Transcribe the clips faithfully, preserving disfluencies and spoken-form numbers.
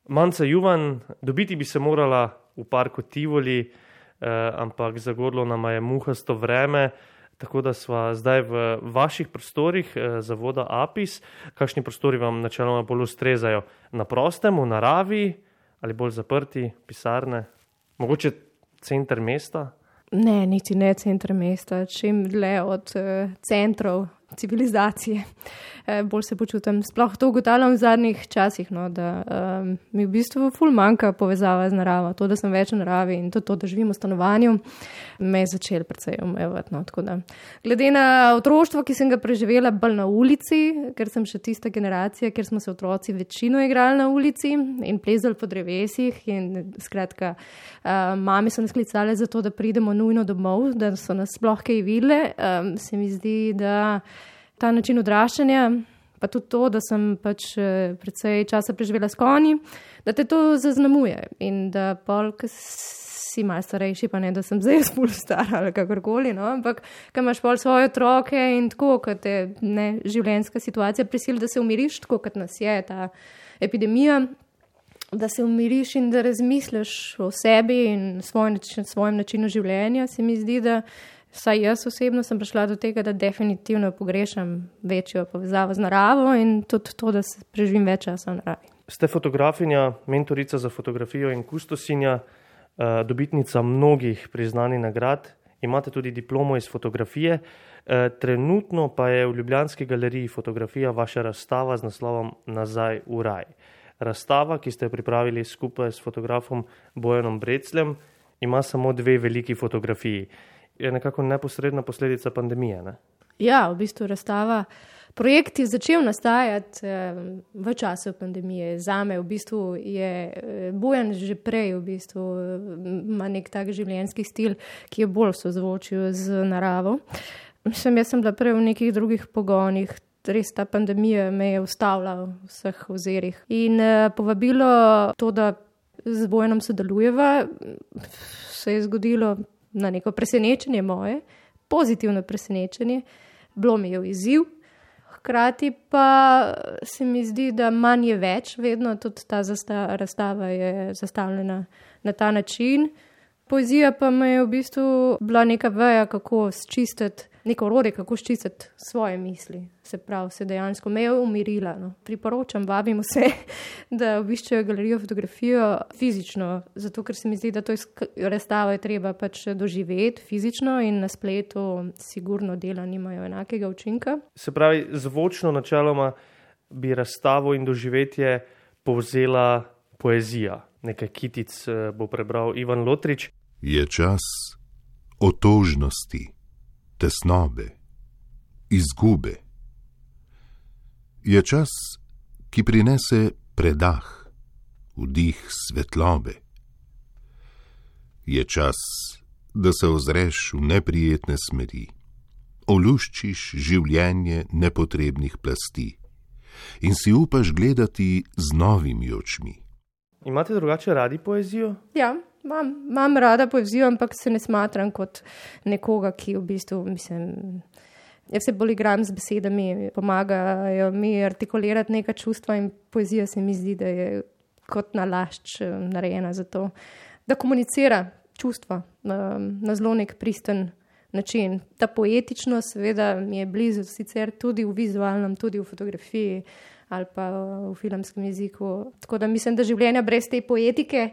Manca Juvan, dobiti bi se morala v parku Tivoli, eh, ampak zagodlo nama je muhasto vreme, tako da sva zdaj v vaših prostorih eh, zavoda Apis. Kakšni prostori vam načeloma bolj ustrezajo? Na prostem, v naravi ali bolj zaprti, pisarne? Mogoče center mesta? Ne, niti ne center mesta, čim dlje od uh, centrov civilizacije. E, bolj se počutim. Sploh to ugotavljam v zadnjih časih, no, da um, mi v bistvu ful manjka povezava z naravo. To, da sem več v naravi in to, to da živim v stanovanju, me je začel precej omejevati. No, tako da. Glede na otroštvo, ki sem ga preživela bolj na ulici, ker sem še tista generacija, kjer smo se otroci večino igrali na ulici in plezali po drevesih in skratka, uh, mami so nas klicale za to, da pridemo nujno domov, da so nas sploh kaj videle. Um, se mi zdi, da ta način odraščanja, pa tudi to, da sem pač precej časa preživela s konji, da te to zaznamuje in da pol, ko si malo starejši, pa ne, da sem zdaj spol stara ali kakorkoli, no, ampak ko imaš pol svoje otroke in tako, ko te ne, življenjska situacija prisili, da se umiriš, tako kot nas je ta epidemija, da se umiriš in da razmisliš o sebi in svoj način, svojem načinu življenja, se mi zdi, da vsaj jaz osebno sem prišla do tega, da definitivno pogrešam večjo povezavo z naravo in tudi to, da se preživim več časa v naravi. Ste fotografinja, mentorica za fotografijo in kustosinja, dobitnica mnogih priznanih nagrad, imate tudi diplomo iz fotografije. Trenutno pa je v ljubljanski galeriji fotografija vaša razstava z naslovom Nazaj v raj. Razstava, ki ste jo pripravili skupaj s fotografom Bojanom Brecljem, ima samo dve veliki fotografiji. Je nekako neposredna posledica pandemije, ne? Ja, v bistvu razstava. Projekt je začel nastajati eh, v času pandemije. Zame v bistvu je Bojan že prej v bistvu ima nek tak življenjski stil, ki je bolj sozvočil z naravo. Mislim, jaz sem bila prej v nekih drugih pogonih. Res ta pandemija me je ustavila v vseh ozirih. In eh, povabilo to, da z Bojanom sodelujeva, se je zgodilo na neko presenečenje moje, pozitivno presenečenje, bilo mi je izziv, hkrati pa se mi zdi, da manj je več, vedno tudi ta razstava je zastavljena na ta način. Poezija pa me je v bistvu bila neka veja, kako sčistiti, neko orodje, kako sčistiti svoje misli. Se pravi, se dejansko me je umirila. No. Priporočam, vabim vse, da obiščejo galerijo fotografijo fizično, zato ker se mi zdi, da to razstavo je treba pač doživeti fizično in na spletu sigurno dela nimajo enakega učinka. Se pravi, zvočno načeloma bi razstavo in doživetje povzela poezija. Nekaj kitic bo prebral Ivan Lotrič. Je čas otožnosti, tesnobe, izgube. Je čas, ki prinese predah, vdih svetlobe. Je čas, da se ozreš v neprijetne smeri, oluščiš življenje nepotrebnih plasti in si upaš gledati z novimi očmi. Imate drugače radi poezijo? Ja, imam, imam rada poezijo, ampak se ne smatram kot nekoga, ki v bistvu, mislim, jaz se bolj igram z besedami, pomagajo mi artikulirati neka čustva in poezija se mi zdi, da je kot nalašč narejena za to, da komunicira čustva na zelo nek pristen način. Ta poetičnost seveda mi je blizu sicer tudi v vizualnem, tudi v fotografiji, ali pa v filmskem jeziku. Tako da mislim, da življenja brez te poetike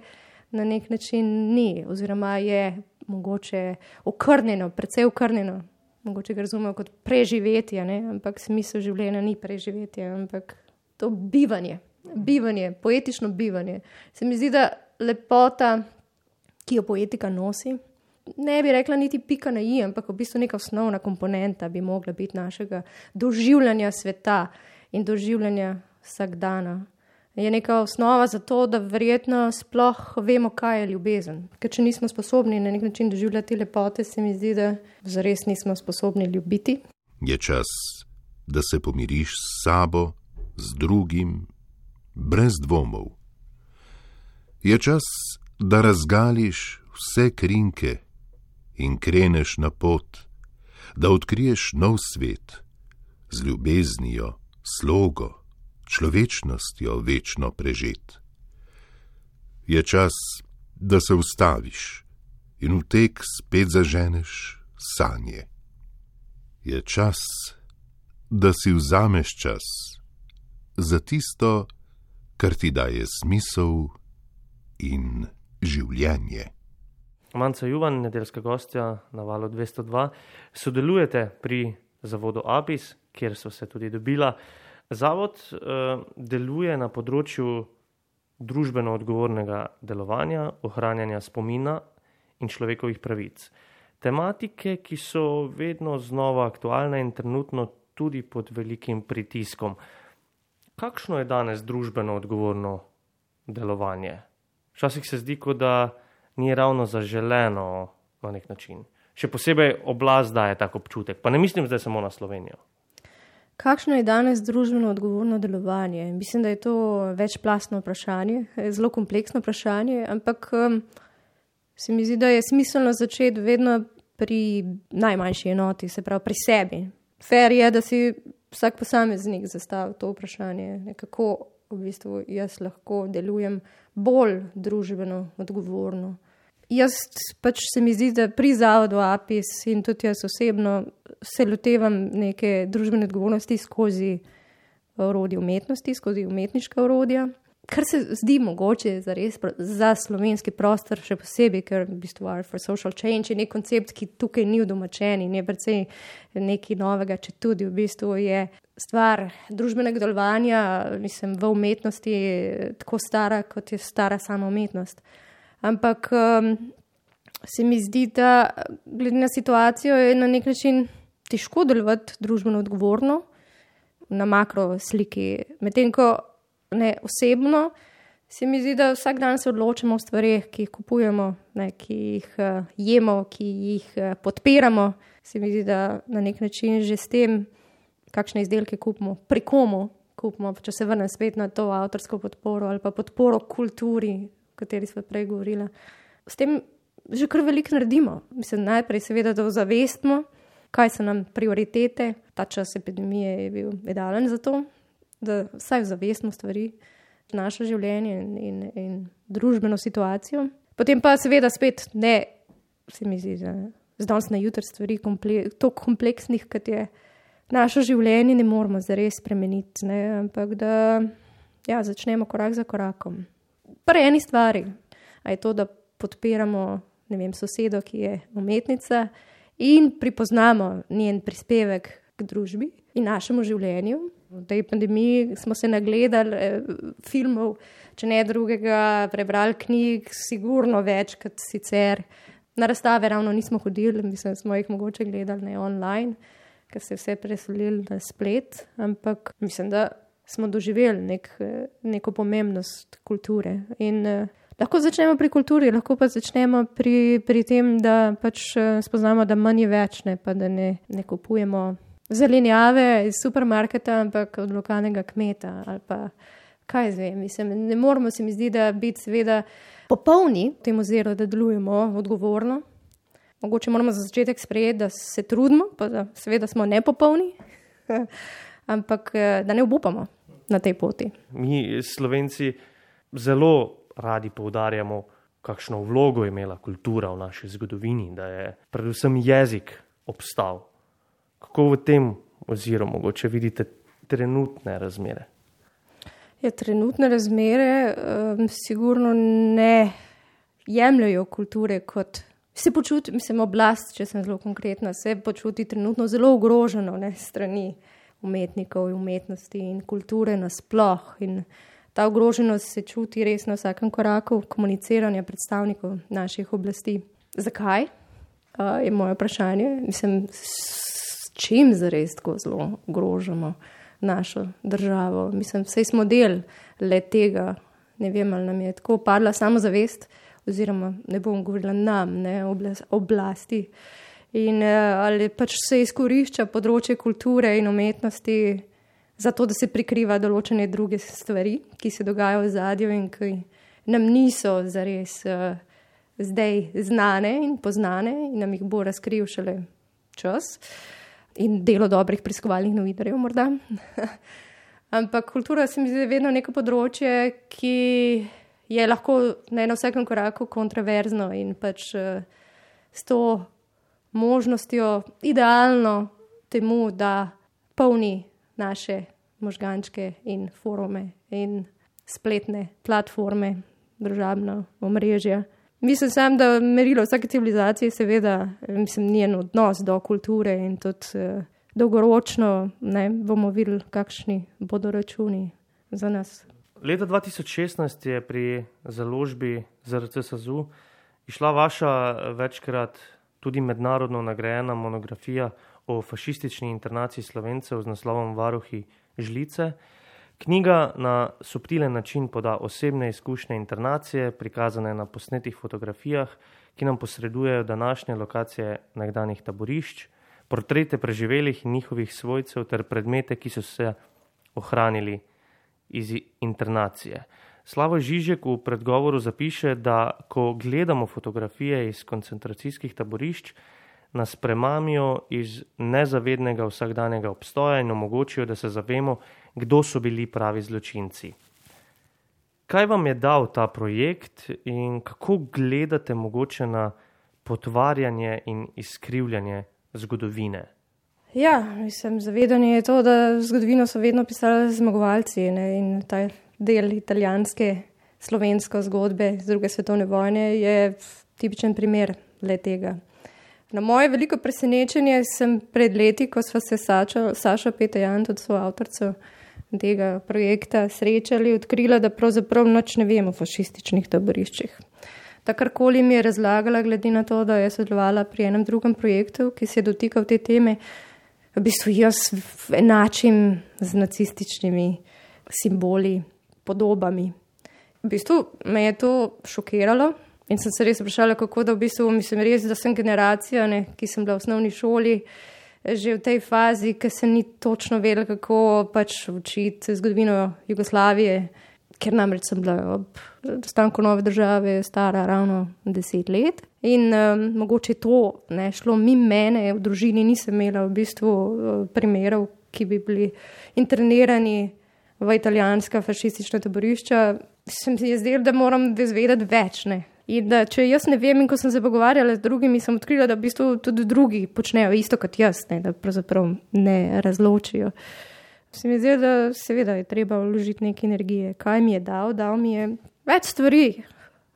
na nek način ni, oziroma je mogoče okrnjeno, precej okrnjeno. Mogoče ga razumejo kot preživetje, ne? Ampak smisel življenja ni preživetje, ampak to bivanje, bivanje, poetično bivanje. Se mi zdi, da lepota, ki jo poetika nosi, ne bi rekla niti pika na i, ampak v bistvu neka osnovna komponenta bi mogla biti našega doživljanja sveta in doživljanja vsakdana. Je neka osnova za to, da verjetno sploh vemo, kaj je ljubezen. Ker če nismo sposobni na nek način doživljati lepote, se mi zdi, da zares nismo sposobni ljubiti. Je čas, da se pomiriš s sabo, z drugim, brez dvomov. Je čas, da razgališ vse krinke in kreneš na pot, da odkriješ nov svet z ljubeznijo, slogo, človečnostjo večno prežet. Je čas, da se ustaviš in v tek spet zaženeš sanje. Je čas, da si vzameš čas za tisto, kar ti daje smisel in življenje. Manca Juvan, nedeljska gostja na Valu dvesto dva, sodelujete pri zavodu APIS, kjer so se tudi dobila. Zavod uh, deluje na področju družbeno odgovornega delovanja, ohranjanja spomina in človekovih pravic. Tematike, ki so vedno znova aktualne in trenutno tudi pod velikim pritiskom. Kakšno je danes družbeno odgovorno delovanje? Včasih se zdi, kot da ni ravno zaželeno na nek način. Še posebej oblast daje tak občutek, pa ne mislim zdaj samo na Slovenijo. Kakšno je danes družbeno odgovorno delovanje? Mislim, da je to večplastno vprašanje, zelo kompleksno vprašanje, ampak um, se mi zdi, da je smiselno začeti vedno pri najmanjši enoti, se pravi pri sebi. Fair je, da si vsak posameznik zastavi to vprašanje, kako v bistvu jaz lahko delujem bolj družbeno odgovorno. Jaz pač se mi zdi, da pri zavodu APIS in tudi jaz osebno se lotevam neke družbene odgovornosti skozi orodje umetnosti, skozi umetniška orodja, kar se zdi mogoče za res za slovenski prostor, še posebej, ker v bistvu Art for Social Change je nek koncept, ki tukaj ni udomačen in je precej nekaj novega, če tudi v bistvu je stvar družbenega delovanja, mislim, v umetnosti tako stara, kot je stara sama umetnost. Ampak um, se mi zdi, da glede na situacijo je na nek način težko delovati družbeno odgovorno na makro sliki. Medtem ko ne osebno, se mi zdi, da vsak dan se odločamo o stvareh, ki jih kupujemo, ne, ki jih uh, jemo, ki jih uh, podpiramo. Se mi zdi, da na nek način že s tem, kakšne izdelke kupimo, pri komu kupimo, če se vrnem spet na to avtorsko podporo ali pa podporo kulturi, o kateri smo prej govorila. S tem že kar veliko naredimo. Mislim, najprej seveda, da ozavestimo, kaj so nam prioritete. Ta čas epidemije je bil idealen za to, da vsaj ozavestimo stvari, naše življenje in, in, in družbeno situacijo. Potem pa seveda spet ne, se mi zdi, da z danes na jutri stvari komple, toliko kompleksnih, kot je naše življenje, ne moramo zares spremeniti, ne, ampak da ja, začnemo korak za korakom. Pri eni stvari, a je to, da podpiramo, ne vem, sosedo, ki je umetnica in pripoznamo njen prispevek k družbi in našemu življenju. V tej pandemiji smo se nagledali eh, filmov, če ne drugega, prebrali knjig, sigurno več kot sicer. Na razstave ravno nismo hodili, mislim, smo jih mogoče gledali ne online, ker se je vse preselili na splet, ampak mislim, da smo doživeli nek, neko pomembnost kulture. In eh, lahko začnemo pri kulturi, lahko pa začnemo pri, pri tem, da pač spoznamo, da manj je več, ne, pa da ne, ne kupujemo zelenjave iz supermarketa, ampak od lokalnega kmeta ali pa kaj zvem. Mislim, ne moramo se mi zdi, da biti seveda popolni v tem oziru, da delujemo odgovorno. Mogoče moramo za začetek sprejeti, da se trudimo, pa da seveda smo nepopolni, ampak da ne obupamo na tej poti. Mi Slovenci zelo radi poudarjamo, kakšno vlogo je imela kultura v naši zgodovini, da je predvsem jezik obstal. Kako v tem oziru mogoče vidite trenutne razmere? Ja, trenutne razmere um, sigurno ne jemljajo kulture kot se počuti, mislim, oblast, če sem zelo konkretna, se počuti trenutno zelo ogroženo, ne, strani umetnikov in umetnosti in kulture nasploh. In ta ogroženost se čuti res na vsakem koraku komuniciranja predstavnikov naših oblasti. Zakaj? Uh, je moje vprašanje. Mislim, čim zares tako zelo ogrožamo našo državo. Mislim, vsej smo del le tega, ne vem, ali nam je tako padla samozavest, oziroma ne bom govorila nam, ne, oblasti. In ali pač se izkorišča področje kulture in umetnosti zato, da se prikriva določene druge stvari, ki se dogajajo v zadju in ki nam niso zares uh, zdaj znane in poznane in nam jih bo razkril šele čas. In delo dobrih preiskovalnih novinarjev morda. Ampak kultura se mi zdi vedno neko področje, ki je lahko ne, na vsakem koraku kontroverzno in pač uh, s to možnostjo idealno temu, da polni naše možgančke in forume in spletne platforme, družabna omrežja. Mislim sam, da merilo vsake civilizacije seveda, mislim, njen odnos do kulture in tudi uh, dolgoročno ne, bomo videli, kakšni bodo računi za nas. Leta dva tisoč šestnajst je pri založbi Z R C SAZU išla vaša večkrat tudi mednarodno nagrajena monografija o fašistični internaciji Slovencev z naslovom Varuhi žlice. Knjiga na subtilen način poda osebne izkušnje internacije, prikazane na posnetih fotografijah, ki nam posredujejo današnje lokacije nekdanjih taborišč, portrete preživelih in njihovih svojcev ter predmete, ki so se ohranili iz internacije. Slavoj Žižek v predgovoru zapiše, da ko gledamo fotografije iz koncentracijskih taborišč, nas premamijo iz nezavednega vsakdanjega obstoja in omogočijo, da se zavemo, kdo so bili pravi zločinci. Kaj vam je dal ta projekt in kako gledate mogoče na potvarjanje in izkrivljanje zgodovine? Ja, mislim, zavedanje je to, da zgodovino so vedno pisali zmagovalci, ne, in ta del italijanske slovenske zgodbe z druge svetovne vojne je tipičen primer le tega. Na moje veliko presenečenje sem pred leti, ko sva se Saša, Saša Petejan, tudi soavtorica tega projekta, srečali, odkrila, da pravzaprav nič ne vemo o fašističnih taboriščih. Takarkoli mi je razlagala, glede na to, da je sodelovala pri enem drugem projektu, ki se je dotikal te teme, v bistvu jaz enačim z nacističnimi simboli, podobami. V bistvu me je to šokiralo in sem se res vprašala, kako da v bistvu, mislim res, da sem generacija, ne, ki sem bila v osnovni šoli, že v tej fazi, ki se ni točno vedela, kako pač učiti zgodovino Jugoslavije, ker namreč sem bila ob nastanku nove države stara ravno deset let. In um, mogoče to ne šlo mimo mene, v družini nisem imela v bistvu primerov, ki bi bili internirani v italijanska fašistična taborišča. Sem si je zdela, da moram izvedeti več, ne. In da če jaz ne vem, in ko sem se pogovarjala z drugimi, sem odkrila, da v bistvu tudi drugi počnejo isto kot jaz, ne, da pravzaprav ne razločijo. Se mi zdi, da seveda je treba vložiti neke energije. Kaj mi je dal? Dal mi je več stvari.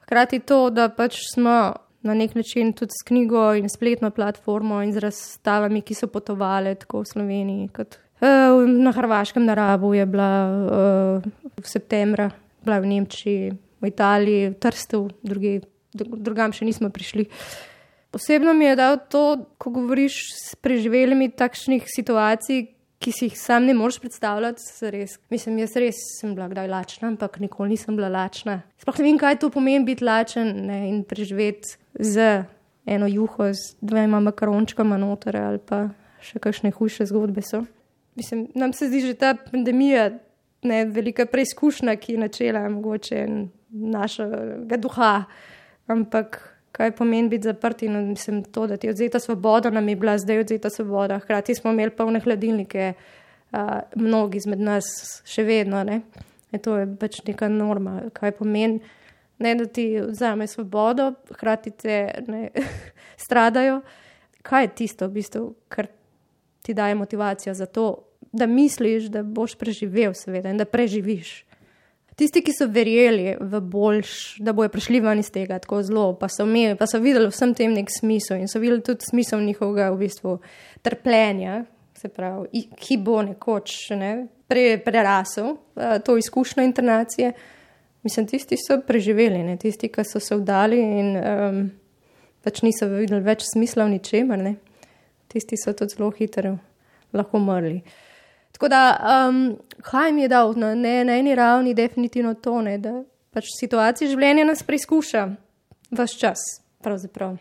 Hkrati to, da pač smo na nek način tudi s knjigo in spletno platformo in z razstavami, ki so potovali tako v Sloveniji, kot uh, na Hrvaškem na Rabu je bila uh, v septembra, bila v Nemčiji, v Italiji, v Trstu, drugi, drugam še nismo prišli. Posebno mi je dal to, ko govoriš s preživelimi takšnih situacij, ki si jih sam ne moreš predstavljati, res. Mislim, jaz res sem bila kdaj lačna, ampak nikoli nisem bila lačna. Sploh ne vem, kaj to pomeni biti lačen, ne, in preživeti z eno juho, z dvema makarončkama noter ali pa še kakšne hujše zgodbe so. Mislim, nam se zdi že ta pandemija, ne, velika preizkušnja, ki je načela mogoče našega duha, ampak kaj pomeni biti zaprti, no, mislim to, da ti je odzeta svoboda, nam je bila zdaj odzeta svoboda, hkrati smo imeli polne hladilnike, a, mnogi izmed nas še vedno, ne. E to je pač neka norma, kaj pomeni, ne, da ti vzame svobodo, hkrati te ne, stradajo. Kaj je tisto, v bistvu, kar ti daje motivacijo za to, da misliš, da boš preživel seveda in da preživiš. Tisti, ki so verjeli v boljš, da bojo prišli ven iz tega tako zelo, pa so, imeli, pa so videli vsem tem nek smisel in so videli tudi smisel njihovega v bistvu trpljenja, se pravi, ki bo nekoč ne, pre, prerasel uh, to izkušnjo internacije. Mislim, tisti so preživeli, ne, tisti, ki so se vdali in um, pač niso videli več smisla v ničemer, ne. Tisti so tudi zelo hitro lahko umrli. Tako da, um, kaj mi je dal na, ne, na eni ravni definitivno to, ne, da pač situacija življenja nas preizkuša ves čas, pravzaprav.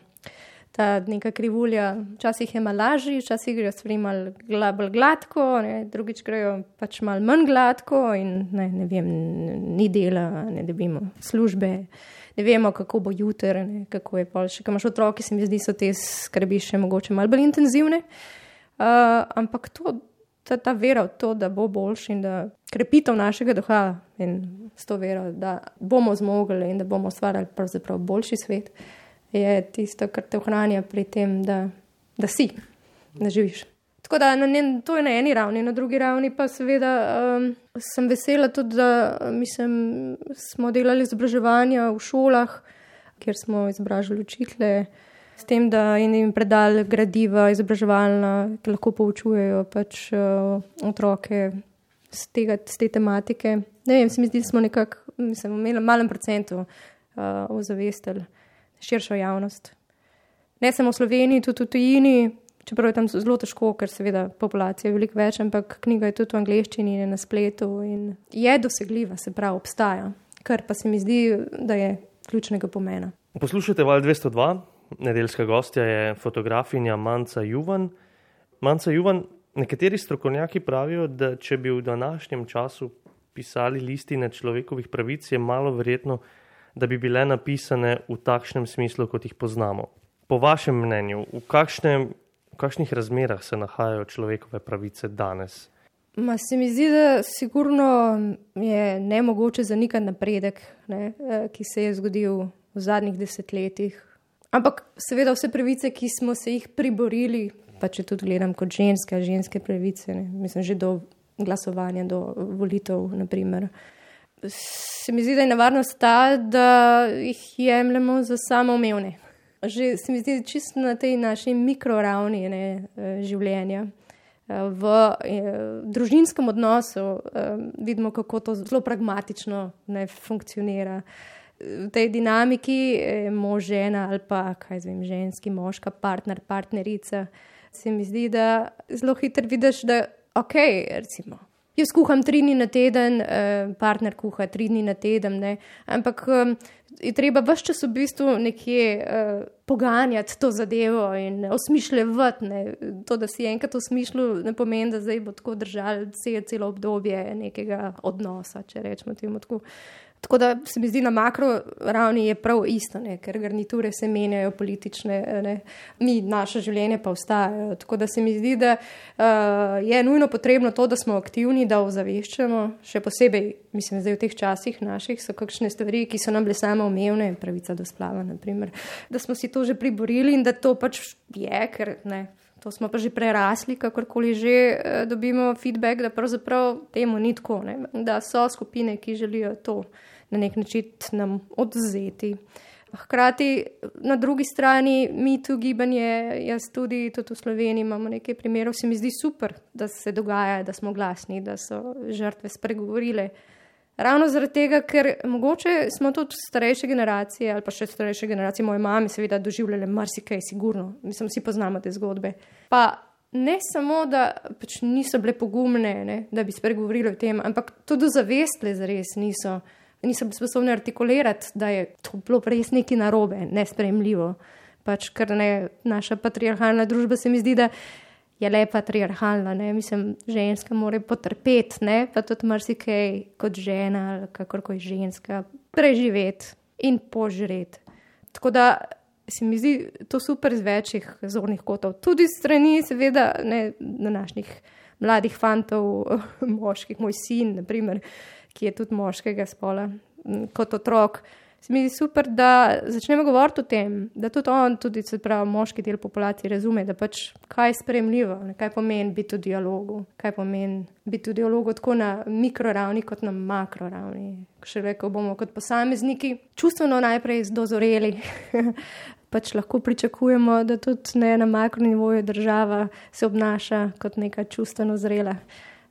Ta neka krivulja, včasih je malo lažji, včasih grejo stvari malo bolj gladko, ne, drugič grejo pač malo manj gladko in ne, ne vem, ni dela, ne dobimo službe, ne vemo, kako bo jutri, ne, kako je pol še, ko imaš otroke, se mi zdi, so te skrbi še mogoče malo bolj intenzivne, uh, ampak to ta, ta vera v to, da bo boljši in da krepitev našega duha in s to vero, da bomo zmogli in da bomo ustvarjali pravzaprav boljši svet, je tisto, kar te ohranja pri tem, da, da si, da živiš. Tako da na njen, to je na eni ravni, na drugi ravni pa seveda um, sem vesela tudi, da mislim, smo delali izobraževanja v šolah, kjer smo izobražili učitelje, s tem, da jim predali gradiva izobraževalna, ki lahko poučujejo pač uh, otroke z, tega, z te tematike. Ne vem, se mi zdi, da smo nekako, mislim, imeli malem procentu uh, ozavestili širšo javnost. Ne samo v Sloveniji, tudi v tujini, čeprav je tam zelo težko, ker seveda populacija je veliko več, ampak knjiga je tudi v angleščini in na spletu in je dosegljiva, se pravi, obstaja, kar pa se mi zdi, da je ključnega pomena. Poslušajte Val dvesto dva, nedeljska gostja je fotografinja Manca Juvan. Manca Juvan, nekateri strokovnjaki pravijo, da če bi v današnjem času pisali listine človekovih pravic, je malo verjetno, da bi bile napisane v takšnem smislu, kot jih poznamo. Po vašem mnenju, v kakšnem V kakšnih razmerah se nahajajo človekove pravice danes? Ma se mi zdi, da sigurno je nemogoče zanikati napredek, ne, ki se je zgodil v zadnjih desetletjih. Ampak seveda vse pravice, ki smo se jih priborili, pa če tudi gledam kot ženske, ženske pravice, ne, mislim že do glasovanja, do volitev, naprimer. Se mi zdi, da je nevarnost ta, da jih jemljemo za samoumevne. Že se mi zdi čisto na tej naši mikroravni ne, življenja. V družinskem odnosu vidimo, kako to zelo pragmatično ne funkcionira. V tej dinamiki mož, žena ali pa, kaj zvem, ženski, moška, partner, partnerica, se mi zdi, da zelo hitro vidiš, da ok, recimo, jaz kuham tri dni na teden, partner kuha tri dni na teden, ne, ampak je treba ves čas v bistvu nekje uh, poganjati to zadevo in osmišljevati. Ne. To, da si enkrat osmišljil, ne pomeni, da zdaj bo tako držal celo obdobje nekega odnosa, če rečemo temu tako. Tako da se mi zdi, na makro ravni je prav isto, ne, ker garniture se menjajo politične, ne, mi, naše življenje pa ostajajo. Tako da se mi zdi, da uh, je nujno potrebno to, da smo aktivni, da ozaveščamo, še posebej, mislim, zdaj v teh časih naših so kakšne stvari, ki so nam bile samoumevne, pravica do splava, naprimer, da smo si to že priborili in da to pač je, ker ne, to smo pa že prerasli, kakorkoli že eh, dobimo feedback, da pravzaprav temu ni tako, ne, da so skupine, ki želijo to na nek način nam odzeti. Hkrati na drugi strani mi tu gibanje, jaz tudi, tudi v Sloveniji imamo nekaj primerov, se mi zdi super, da se dogaja, da smo glasni, da so žrtve spregovorile. Ravno zaradi tega, ker mogoče smo tudi starejše generacije ali pa še starejše generacije, moje mame seveda doživljale marsikaj, sigurno, mislim, vsi poznamo te zgodbe. Pa ne samo, da pač niso bile pogumne, ne, da bi spregovorili o tem, ampak tudi zavestle zares niso. Nisem sposobna artikulirati, da je to bilo res nekaj narobe, nesprejemljivo. Pač, ker ne, naša patriarhalna družba se mi zdi, da je le patriarhalna, ne, mislim, ženska mora potrpeti, ne, pa tudi marsikaj kot žena ali kakorkoli ženska preživeti in požreti. Tako da se mi zdi to super z večjih zornih kotov. Tudi strani, seveda, ne, današnjih mladih fantov, moških, moj sin, naprimer, ki je tudi moškega spola, kot otrok. Se mi zdi super, da začnemo govoriti o tem, da tudi on, tudi se pravi moški del populacije razume, da pač kaj je sprejemljivo, kaj pomeni biti v dialogu, kaj pomeni biti v dialogu tako na mikroravni kot na makroravni. Še rekel bomo kot posamezniki čustveno najprej dozoreli, pač lahko pričakujemo, da tudi ne na makronivoju država se obnaša kot neka čustveno zrela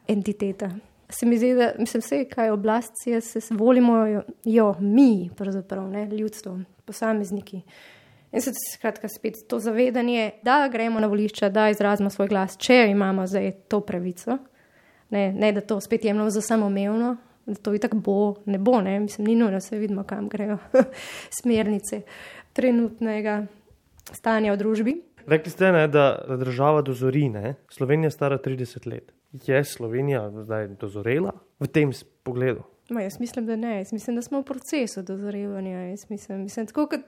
entiteta. Se mi zdi, da mislim vse, kaj oblast je, se volimo jo mi, pravzaprav, ne, ljudstvo, posamezniki. In se skratka spet to zavedanje, da gremo na volišča, da izrazimo svoj glas, če imamo zdaj to pravico, ne, ne da to spet jemljamo za samoumevno, da to itak bo, ne bo, ne, mislim, ni nujno, se vidimo, kam grejo smernice trenutnega stanja v družbi. Rekli ste, ne, da država dozori, ne? Slovenija je stara trideset let. Je Slovenija zdaj dozorela v tem pogledu? Ma, jaz mislim, da ne. Jaz mislim, da smo v procesu dozorevanja. Jaz mislim, mislim tako kot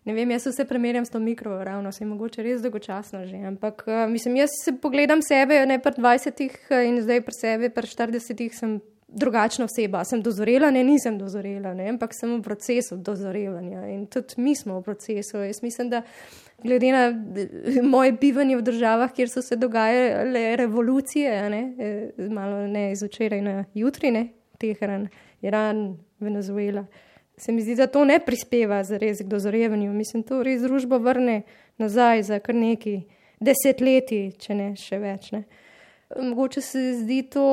Ne vem, jaz se primerjam s to mikro ravno, se je mogoče res dolgočasno že, ampak uh, mislim, jaz se pogledam sebe, ne pri dvajsetih in zdaj pri sebi, pri štiridesetih sem drugačna oseba. Sem dozorela, ne, nisem dozorela, ne, ampak sem v procesu dozorevanja in tudi mi smo v procesu. Jaz mislim, da glede na moje bivanje v državah, kjer so se dogajale revolucije, ne, malo ne iz včeraj na jutri, ne, Teheran, Iran, Venezuela, se mi zdi, da to ne prispeva zares k dozorevanju. Mislim, to res družbo vrne nazaj za kar nekaj desetletij, če ne še več. Ne. Mogoče se zdi to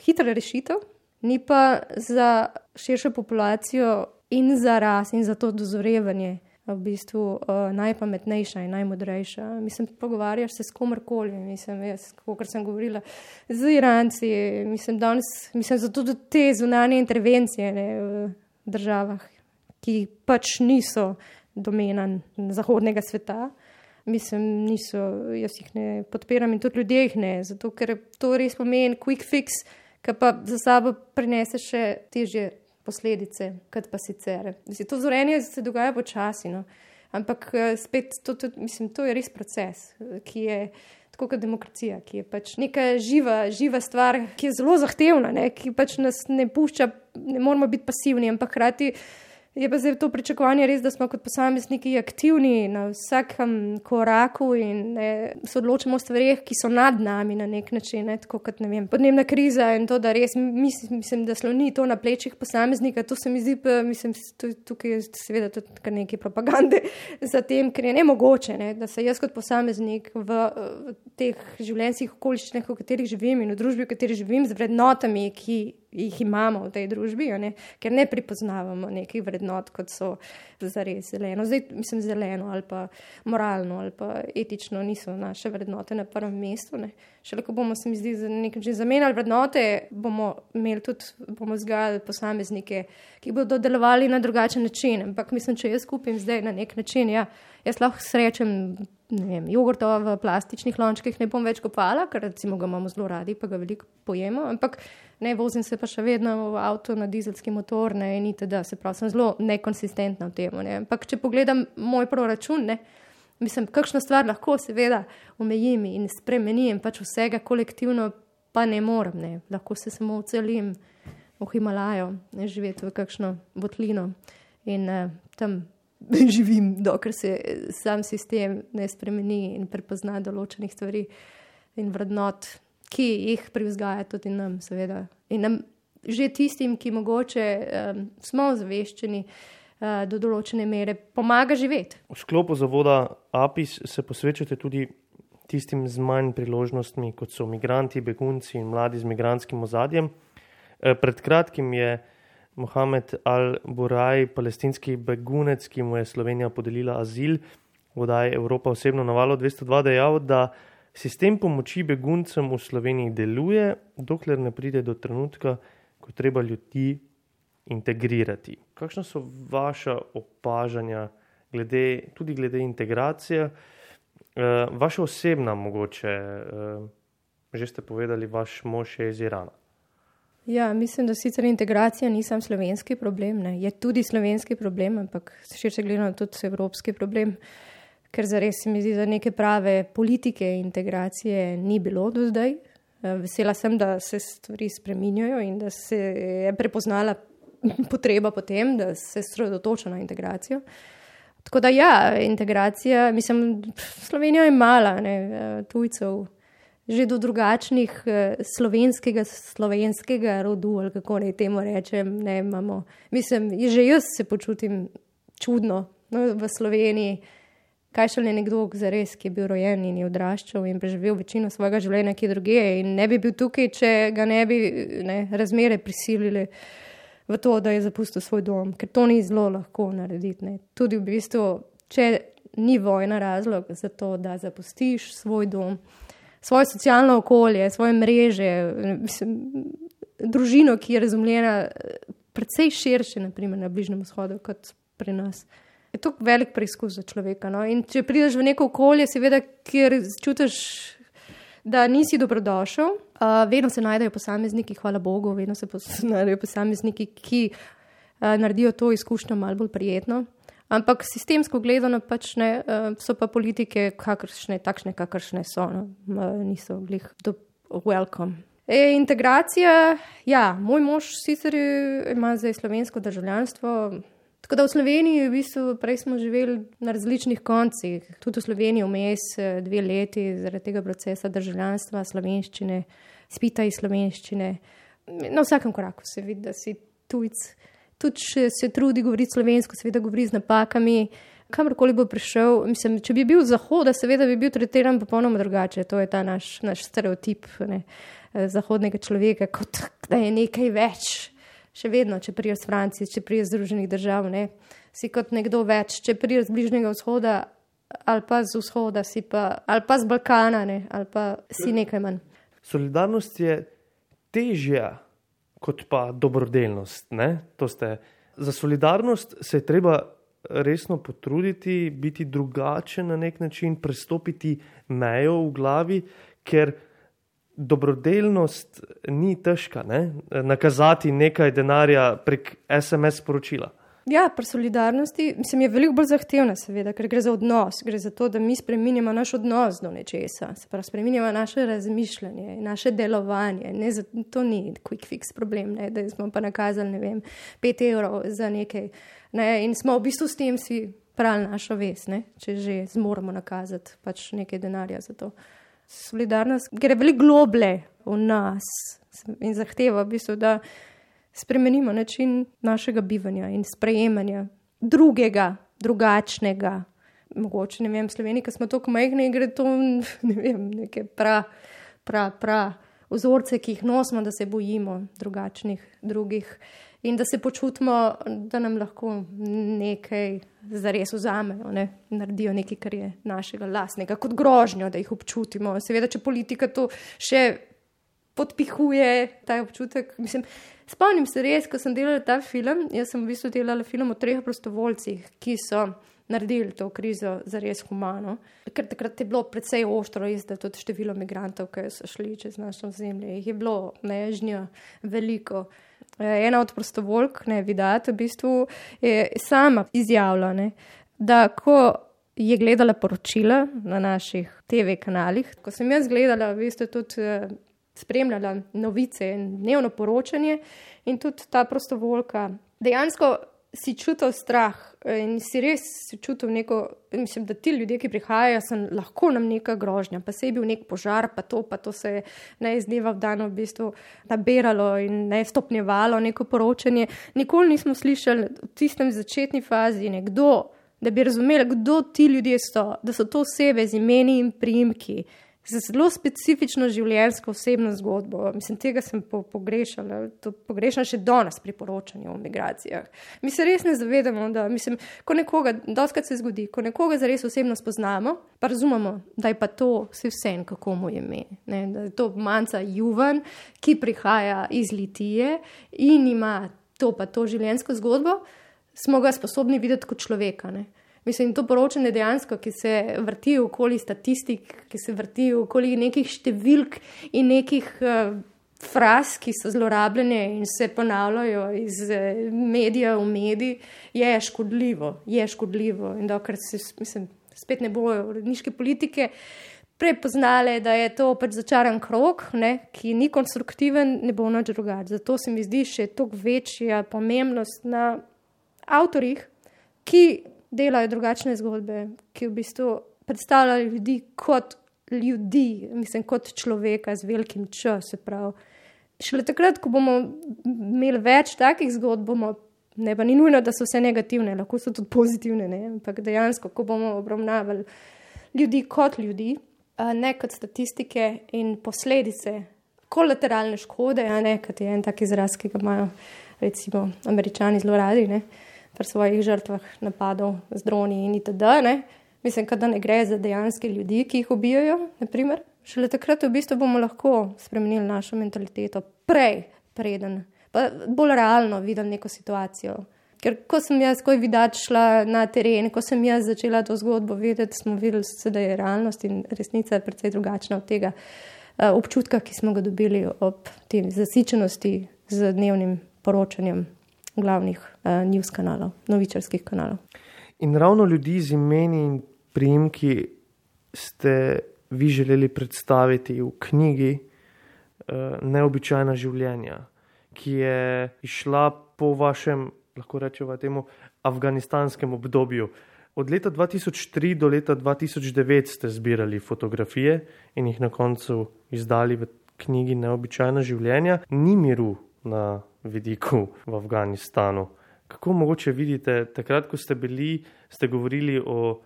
hitra rešitev, ni pa za širšo populacijo in za ras in za to dozorevanje v bistvu uh, najpametnejša in najmodrejša. Mislim, pogovarjaš se s komorkoli, mislim, jaz, kakor sem govorila, z Iranci, mislim, danes, mislim, zato do te zunanje intervencije, ne, v državah, ki pač niso domena zahodnega sveta. Mislim, niso, jaz jih ne podpiram in tudi ljudje jih ne, zato ker to res pomeni quick fix, ki pa za sabo prinese še težje posledice, kot pa sicer. Mislim, to zorenje se dogaja počasi, no. Ampak spet, to, to, mislim, to je res proces, ki je tako kot demokracija, ki je pač neka živa, živa stvar, ki je zelo zahtevna, ne, ki pač nas ne pušča, ne moramo biti pasivni, ampak hkrati je pa zdaj to pričakovanje res, da smo kot posamezniki aktivni na vsakem koraku in ne, se odločimo o stvarih, ki so nad nami na nek način, ne, tako kot, ne vem, podnebna kriza in to, da res mislim, mislim da sloni to na plečih posameznika, to se mi zdi, pa, mislim, tukaj je seveda tudi kar nekaj propagande za tem, ker je nemogoče, ne, da se jaz kot posameznik v, v teh življenjskih okoliščinah, v katerih živim in v družbi, v kateri živim, z vrednotami, ki jih imamo v tej družbi, ne? Ker ne pripoznavamo nekih vrednot, kot so zares zeleno. Zdaj, mislim, zeleno ali pa moralno ali pa etično niso naše vrednote na prvem mestu. Ne? Šele ko bomo, se mi zdi, za nekaj čim zamenjali vrednote, bomo imeli tudi, bomo vzgajali posameznike, ki bodo delovali na drugačen način. Ampak mislim, če jaz kupim zdaj na nek način, ja, jaz lahko srečem, ne vem, jogurta v plastičnih lončkih ne bom več kopala, ker recimo ga imamo zelo radi, pa ga veliko pojemo, ampak ne, vozim se pa še vedno v avto na dizelski motor, ne, in itd. Se pravi, sem zelo nekonsistentna v tem, ne. Ampak če pogledam moj proračun, ne, mislim, kakšno stvar lahko seveda omejim in spremenim, pač vsega kolektivno pa ne morem, ne. Lahko se samo ocelim v Himalajo, ne, živeti v kakšno votlino in uh, tam živim, dokler se sam sistem ne spremeni in prepozna določenih stvari in vrednot, ki jih privzgaja tudi nam, seveda. In nam, že tistim, ki mogoče um, smo zaveščeni uh, do določene mere, pomaga živeti. V sklopu zavoda APIS se posvečate tudi tistim z manj priložnostmi, kot so migranti, begunci in mladi z migrantskim ozadjem. E, pred kratkim je Mohamed Al-Buraj, palestinski begunec, ki mu je Slovenija podelila azil, v oddaji Evropa osebno na Valu dvesto dva dejal, da sistem pomoči beguncem v Sloveniji deluje, dokler ne pride do trenutka, ko treba ljudi integrirati. Kakšna so vaša opažanja glede, tudi glede integracije? E, vaša osebna mogoče, e, že ste povedali, vaš mož je iz Irana. Ja, mislim, da sicer integracija ni sam slovenski problem, ne. Je tudi slovenski problem, ampak širše gledano tudi evropski problem, ker zares se mi zdi, da neke prave politike integracije ni bilo do zdaj. Vesela sem, da se stvari spreminjajo in da se je prepoznala potreba po tem, da se sredotoča na integracijo. Tako da ja, integracija, mislim, Slovenija je mala, ne, tujcev, že do drugačnih slovenskega, slovenskega rodu, ali kako naj temu rečem, ne imamo. Mislim, že jaz se počutim čudno, no, v Sloveniji, kaj šele nekdo zares, ki je bil rojen in je odraščal in preživel večino svojega življenja kje drugje in ne bi bil tukaj, če ga ne bi ne, razmere prisilili v to, da je zapustil svoj dom, ker to ni zelo lahko narediti. Ne. Tudi v bistvu, če ni vojna razlog za to, da zapustiš svoj dom, svoje socialno okolje, svoje mreže, mislim, družino, ki je razumljena precej širše, naprimer na Bližnjem vzhodu, kot pri nas. Je to velik preizkus za človeka. No? In če prideš v neko okolje, seveda, kjer čutiš, da nisi dobrodošel, uh, vedno se najdejo posamezniki, hvala Bogu, vedno se pos- najdejo posamezniki, ki uh, naredijo to izkušnjo malo bolj prijetno. Ampak sistemsko gledano pač ne, so pa politike kakršne, takšne, kakršne so, no. Niso glih do welcome. E, integracija, ja, moj mož sicer ima zdaj slovensko državljanstvo, tako da v Sloveniji v bistvu prej smo živeli na različnih koncih, tudi v Sloveniji vmes dve leti zaradi tega procesa državljanstva, slovenščine, spita iz slovenščine. Na vsakem koraku se vidi, da si tujc, tudi če se trudi govoriti slovensko, seveda govori z napakami, kamorkoli bo prišel. Mislim, če bi bil z zahoda, seveda bi bil tretiran popolnoma drugače, to je ta naš, naš stereotip, ne, zahodnega človeka, kot da je nekaj več. Še vedno, če priješ z Francije, če priješ z Združenih držav, ne, si kot nekdo več, če priješ z Bližnjega vzhoda ali pa z vzhoda, si pa, ali pa z Balkana, ne, ali pa si nekaj manj. Solidarnost je težja kot pa dobrodelnost, ne? To ste. Za solidarnost se je treba resno potruditi, biti drugačen na nek način, prestopiti mejo v glavi, ker dobrodelnost ni težka, ne? Nakazati nekaj denarja prek es em es sporočila. Ja, pri solidarnosti mislim, je veliko bolj zahtevna, seveda, ker gre za odnos, gre za to, da mi spreminjamo naš odnos do nečesa, se pravi, spreminjamo naše razmišljanje, naše delovanje, ne, to ni quick fix problem, ne, da smo pa nakazali, ne vem, pet evrov za nekaj, ne, in smo v bistvu s tem si prali našo vest, ne, če že zmoramo nakazati pač nekaj denarja za to. Solidarnost gre veliko globlje v nas in zahteva v bistvu, da spremenimo način našega bivanja in sprejemanja drugega, drugačnega. Mogoče, ne vem, v Sloveniji, ko smo toliko majhni, gre to, ne vem, neke pra, pra, pra vzorce, ki jih nosimo, da se bojimo drugačnih, drugih in da se počutimo, da nam lahko nekaj zares vzamejo, ne? Naredijo nekaj, kar je našega lastnega, kot grožnjo, da jih občutimo. Seveda, če politika to še podpihuje, ta občutek. Mislim, spomnim se res, ko sem delala ta film, jaz sem v bistvu delala film o treh prostovoljcih, ki so naredili to krizo zares humano. Ker takrat je bilo precej ostro, res, da tudi število migrantov, ki so šli čez našo zemljo, jih je bilo nežnjo veliko. Ena od prostovoljk, ne, Vidat, v bistvu je sama izjavila, ne, da ko je gledala poročila na naših te ve kanalih, ko sem jaz gledala, v bistvu tudi spremljala novice in dnevno poročanje in tudi ta prostovoljka dejansko si čutil strah in si res čutil neko, mislim, da ti ljudje, ki prihajajo, so lahko nam neka grožnja, pa se je bil nek požar, pa to, pa to se je ne iz dneva v dan v bistvu nabiralo in ne stopnjevalo neko poročanje. Nikoli nismo slišali v tistem začetni fazi nekdo, da bi razumeli, kdo ti ljudje so, da so to osebe z imeni in priimki, z zelo specifično življenjsko osebno zgodbo. Mislim, tega sem po, pogrešala, to pogrešam še danes pri poročanju o migracijah. Mi se res ne zavedamo, da, mislim, ko nekoga, dostakrat se zgodi, ko nekoga zares osebno spoznamo, pa razumemo, da je pa to vse vsem, kako mu je ime, ne, da je to manca Juvan, ki prihaja iz Litije in ima to pa to življenjsko zgodbo, smo ga sposobni videti kot človeka, ne. Mislim, to poročanje dejansko, ki se vrti okoli statistik, ki se vrti okoli nekih številk in nekih uh, fraz, ki so zlorabljene in se ponavljajo iz uh, medija v medij, je škodljivo, je škodljivo. In dokler se, mislim, spet ne bojo uredniške politike prepoznale, da je to pač začaran krog, ne, ki ni konstruktiven, ne bo nič drugače. Zato se mi zdi še toliko večja pomembnost na avtorjih, ki delajo drugačne zgodbe, ki v bistvu predstavljajo ljudi kot ljudi, mislim, kot človeka z velikim č, se pravi. Šele takrat, ko bomo imeli več takih zgodb, bomo, ne pa ni nujno, da so vse negativne, lahko so tudi pozitivne, ne, ampak dejansko, ko bomo obravnavali ljudi kot ljudi, ne kot statistike in posledice, kolateralne škode, a ne, kot je en tak izraz, ki ga imajo recimo Američani zelo radi, ne, pri svojih žrtvah napadov z droni in itd., ne. Mislim, da ne gre za dejanske ljudi, ki jih ubijajo, naprimer. Šele takrat v bistvu bomo lahko spremenili našo mentaliteto prej, preden, pa bolj realno videli neko situacijo. Ker ko sem jaz, ko je Vidat šla na teren, ko sem jaz začela to zgodbo videti, smo videli, da je realnost in resnica precej drugačna od tega uh, občutka, ki smo ga dobili ob tem zasičenosti z dnevnim poročanjem glavnih uh, news kanalov, novičarskih kanalov. In ravno ljudi z imeni in priimki ste vi želeli predstaviti v knjigi uh, Neobičajna življenja, ki je išla po vašem, lahko rečemo temu, afganistanskem obdobju. Od leta dva tisoč tri do leta dva tisoč devet ste zbirali fotografije in jih na koncu izdali v knjigi Neobičajna življenja. Ni miru na vidiku v Afganistanu. Kako mogoče vidite, takrat, ko ste bili, ste govorili o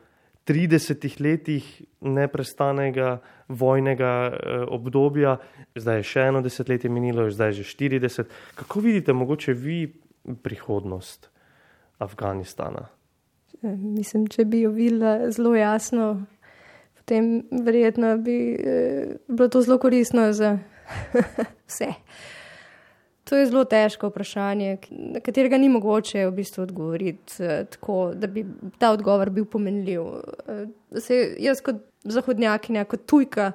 tridesetih letih neprestanega vojnega eh, obdobja, zdaj je še eno desetletje minilo, zdaj je že štirideset. Kako vidite mogoče vi prihodnost Afganistana? Mislim, če bi jo videla zelo jasno, potem verjetno bi eh, bilo to zelo koristno za vse. To je zelo težko vprašanje, na katerega ni mogoče v bistvu odgovoriti eh, tako, da bi ta odgovor bil pomenljiv. Eh, se jaz kot zahodnjakinja, kot tujka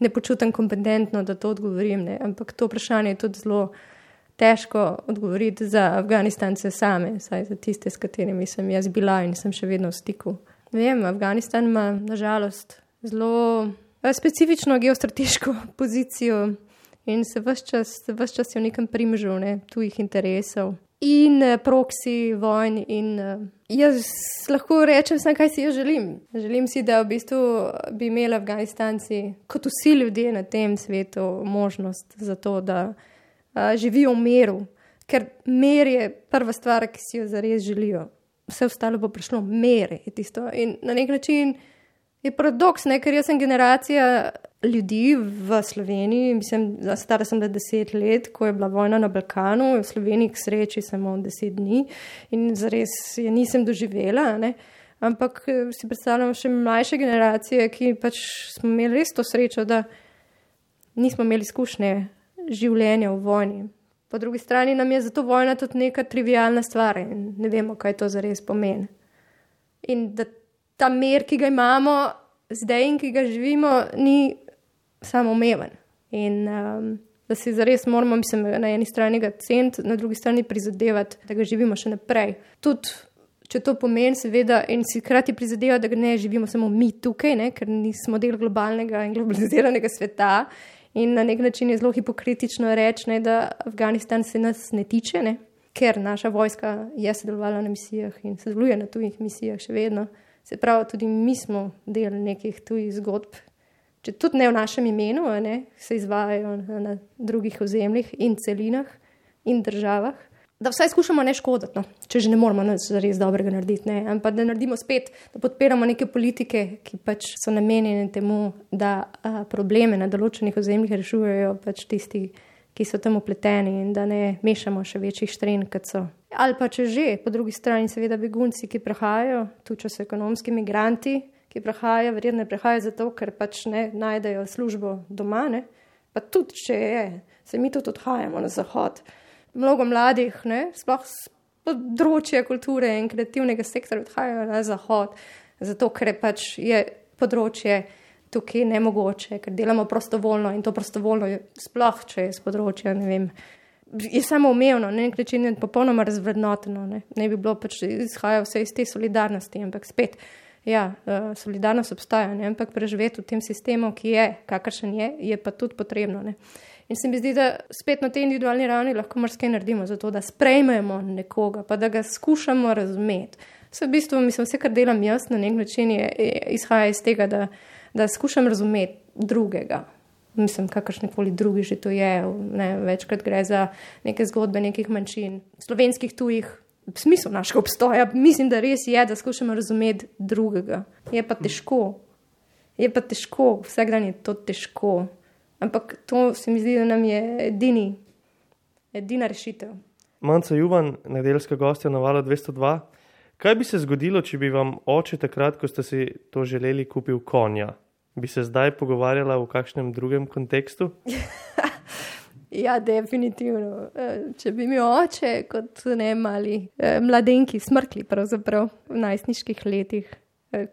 ne počutim kompetentno, da to odgovorim, ne? Ampak to vprašanje je tudi zelo težko odgovoriti za Afganistance same, saj za tiste, s katerimi sem jaz bila in sem še vedno v stiku. Ne vem, Afganistan ima nažalost zelo specifično geostrateško pozicijo in se ves čas, ves čas je v nekem primžu, ne, tujih interesov in proksi vojn in jaz lahko rečem samo, kaj si jaz želim. Želim si, da v bistvu bi imeli Afganistanci, kot vsi ljudje na tem svetu, možnost za to, da a, živijo v miru, ker mir je prva stvar, ki si jo zares želijo. Vse ostalo bo prišlo, mir je tisto in na nek način je paradoks, ne, ker jaz sem generacija ljudi v Sloveniji, mislim, stara sem da deset let, ko je bila vojna na Balkanu, v Sloveniji k sreči samo deset dni in zares je nisem doživela, ne, ampak si predstavljam še mlajše generacije, ki pač smo imeli res to srečo, da nismo imeli izkušnje življenja v vojni. Po drugi strani nam je zato vojna tudi neka trivialna stvar in ne vemo, kaj to zares pomeni. In da ta mir, ki ga imamo zdaj in ki ga živimo, ni samoumeven. In um, da si zares moramo, mislim, na eni strani ga ceniti, na drugi strani prizadevati, da ga živimo še naprej. Tudi, če to pomeni, seveda, in si hkrati prizadevati, da ga ne živimo samo mi tukaj, ne, ker nismo del globalnega in globaliziranega sveta. In na nek način je zelo hipokritično reči, ne, da Afganistan se nas ne tiče, ne, ker naša vojska je sodelovala na misijah in sodeluje na tujih misijah še vedno. Se pravi, tudi mi smo del nekih tujih zgodb, če tudi ne v našem imenu, ne, se izvajajo na, na drugih ozemljih in celinah in državah, da vsaj skušamo ne škoditi, no, če že ne moramo nič res dobrega narediti, ne, ampak da naredimo spet, da podpiramo neke politike, ki pač so namenjene temu, da a, probleme na določenih ozemljih rešujejo pač tisti, ki so tam upleteni in da ne mešamo še večjih štren, kot so. Ali pa če že, po drugi strani seveda begunci, ki prihajajo, tudi če so ekonomski migranti, ki prihajajo, verjetno prihajajo zato, ker pač ne najdejo službo doma, ne, pa tudi če je, se mi tudi odhajamo na zahod. Mnogo mladih, ne, sploh s področja kulture in kreativnega sektorja odhajajo na zahod, zato ker pač je področje tukaj nemogoče, ker delamo prostovoljno in to prostovoljno je sploh, če je z področja, ne vem, je samo umevno, na nek način je popolnoma razvrednoteno, ne, ne bi bilo pač izhaja vse iz te solidarnosti, ampak spet, ja, solidarnost obstaja, ne, ampak preživeti v tem sistemu, ki je, kakršen je, je pa tudi potrebno, ne. In se mi zdi, da spet na tej individualni ravni lahko marsikaj naredimo za to, da sprejmemo nekoga, pa da ga skušamo razumeti. Vse v bistvu, mislim, vse, kar delam jaz na nek način je, je, izhaja iz tega, da da skušam razumeti drugega. Mislim, kakršnekoli drugi že to je. Ne, večkrat gre za neke zgodbe nekih manjšin, slovenskih tujih, v smislu našega obstoja. Mislim, da res je, da skušamo razumeti drugega. Je pa težko. Je pa težko. Vsak dan je to težko. Ampak to se mi zdi, da nam je edini, edina rešitev. Manca Juvan, nedeljska gostja na Valu dvesto dva. Kaj bi se zgodilo, če bi vam oče takrat, ko ste si to želeli, kupil konja? Bi se zdaj pogovarjala v kakšnem drugem kontekstu? Ja, definitivno. Če bi mi oče kot ne mali mladenki smrkli pravzaprav v najstniških letih,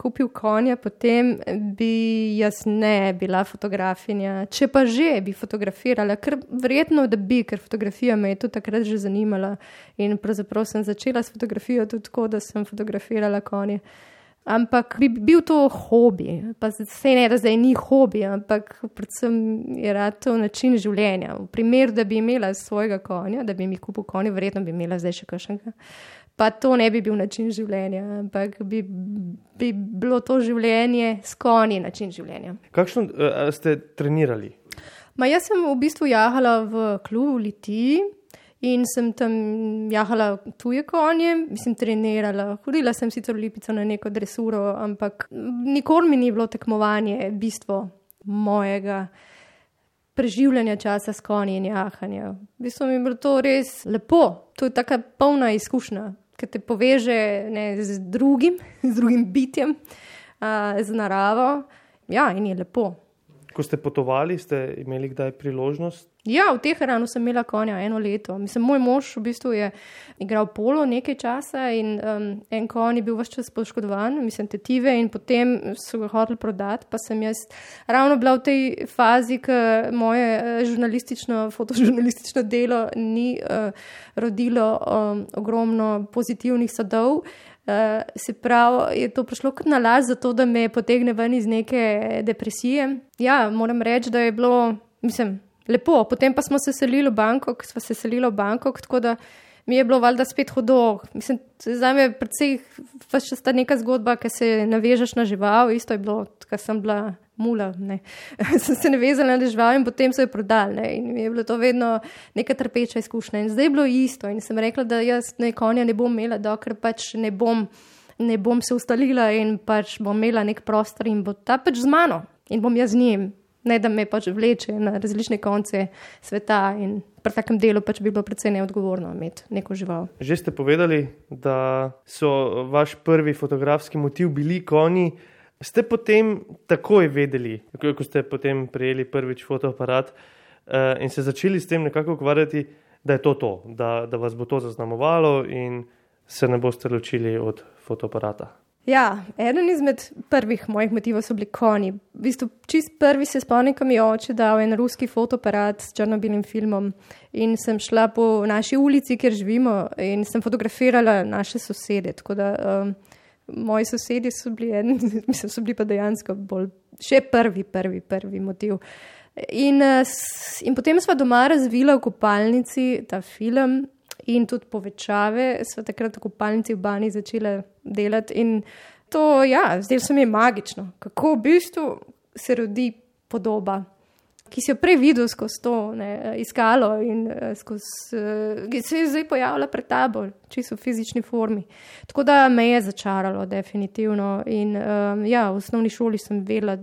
kupil konja, potem bi jaz ne bila fotografinja. Če pa že bi fotografirala, ker verjetno, da bi, ker fotografija me je tudi takrat že zanimala in pravzaprav sem začela s fotografijo tudi tako, da sem fotografirala konje. Ampak bi bil to hobi, pa se ne, da zdaj ni hobi, ampak predvsem je rad to način življenja. V primeru, da bi imela svojega konja, da bi mi kupil konja, verjetno bi imela zdaj še kakšnega. Pa to ne bi bil način življenja, ampak bi, bi bilo to življenje s konji način življenja. Kakšno uh, ste trenirali? Ma jaz sem v bistvu jahala v klubu v Litiji in sem tam jahala tuje konje, mislim trenirala. Hodila sem sicer v Lipico na neko dresuro, ampak nikoli mi ni bilo tekmovanje bistvo mojega preživljanja časa s konji in jahanja. V bistvu mi je bilo to res lepo. To je taka polna izkušnja, ki te poveže ne, z drugim, z drugim bitjem, a, z naravo. Ja, in je lepo. Ko ste potovali, ste imeli kdaj priložnost? Ja, v Teheranu sem imela konja eno leto. Mislim, moj mož v bistvu je igral polo nekaj časa in um, en konj je bil ves čas poškodovan, mislim, tetive, in potem so ga hoteli prodati, pa sem jaz ravno bila v tej fazi, ko moje žurnalistično, fotožurnalistično delo ni uh, rodilo um, ogromno pozitivnih sadov. Uh, se pravi, je to prišlo kot nalaž za to, da me potegne ven iz neke depresije. Ja, moram reči, da je bilo, mislim, lepo. Potem pa smo se selili v Bangkok, smo se selili v Bangkok, tako da mi je bilo valjda spet hudo. Mislim, zdaj me predvsej pač sta neka zgodba, ki se navežeš na žival, isto je bilo, ko sem bila mula, ne. sem se navezala na žival in potem so jo prodali, ne. In mi je bilo to vedno neka trpeča izkušnja. In zdaj je bilo isto in sem rekla, da jaz ne konja ne bom imela, dokler pač ne bom, ne bom se ustalila in pač bom imela nek prostor in bo ta pač z mano in bom jaz z njim. Ne, da me pač vleče na različne konce sveta in pri takem delu pač bi bilo predvsej neodgovorno imeti neko žival. Že ste povedali, da so vaš prvi fotografski motiv bili konji. Ste potem takoj vedeli, ko ste potem prejeli prvič fotoaparat uh, in se začeli s tem nekako ukvarjati, da je to to, da, da vas bo to zaznamovalo in se ne boste ločili od fotoaparata? Ja, eden izmed prvih mojih motivov so bili konji. V bistvu čist prvi se spomnim, ko mi je oče dal en ruski fotoaparat s črno-belim filmom in sem šla po naši ulici, kjer živimo in sem fotografirala naše sosede. Tako da um, moji sosedje so bili, en, mislim, so bili pa dejansko bolj še prvi, prvi, prvi motiv. In, in potem sva doma razvila v kopalnici ta film in tudi povečave, sva takrat v kopalnici v Bani začela delati in to, ja, zdaj se mi je magično, kako v bistvu se rodi podoba, ki si jo prej videl skozi to, ne, iskalo in skozi, ki se je zdaj pojavila pred tabo, čisto v fizični formi. Tako da me je začaralo definitivno in um, ja, v osnovni šoli sem vedela,